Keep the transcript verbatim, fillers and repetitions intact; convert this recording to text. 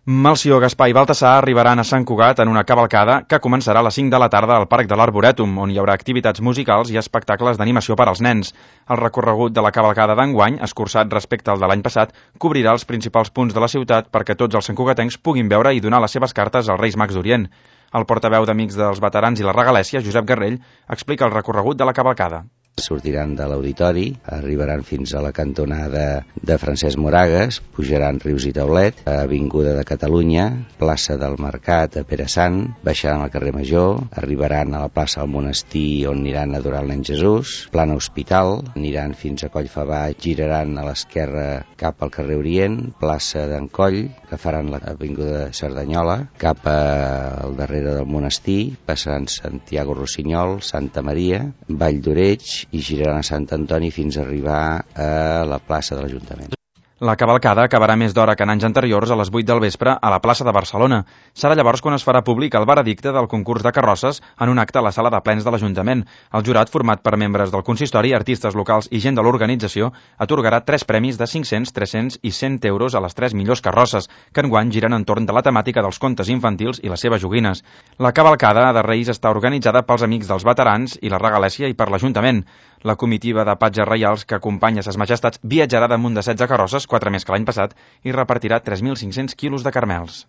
Melcior, Gaspar i Baltasar arribaran a Sant Cugat en una cavalcada que començarà a les cinc de la tarda al Parc de l'Arborètum, on hi haurà activitats musicals i espectacles d'animació per als nens. El recorregut de la cavalcada d'enguany, escurçat respecte al de l'any passat, cobrirà els principals punts de la ciutat perquè tots els santcugatencs puguin veure i donar les seves cartes als Reis Mags d'Orient. El portaveu d'Amics dels Veterans i la Regalèssia, Josep Garrell, explica el recorregut de la cavalcada. Sortiran de l'auditori, arribaran fins a la cantonada de Francesc Moragues, pujaran Rius i Taulet, Avinguda de Catalunya, plaça del Mercat a Pere Sant, baixaran al carrer Major, arribaran a la plaça del Monestir on aniran a adorar el nen Jesús, plana Hospital, aniran fins a Collfabà, giraran a l'esquerra cap al carrer Orient, plaça d'en Coll, que faran l'Avinguda de Cerdanyola, cap al darrere del Monestir, passaran Santiago Rossinyol, Santa Maria, Vall d'Oreig, i giraran a Sant Antoni fins a arribar a la plaça de l'Ajuntament. La cavalcada acabarà més d'hora que en anys anteriors a les vuit del vespre a la plaça de Barcelona. Serà llavors quan es farà públic el veredicte del concurs de carrosses en un acte a la sala de plens de l'Ajuntament. El jurat, format per membres del consistori, artistes locals i gent de l'organització, atorgarà tres premis de cinc-cents, tres-cents i cent euros a les tres millors carrosses, que enguany giren entorn de la temàtica dels contes infantils i les seves joguines. La cavalcada de Reis està organitzada pels Amics dels Veterans i la Regalèssia i per l'Ajuntament. La comitiva de patges reials que acompanya ses majestats viatjarà damunt de setze carrosses, quatre més que l'any passat, i repartirà tres mil cinc-cents quilos de caramels.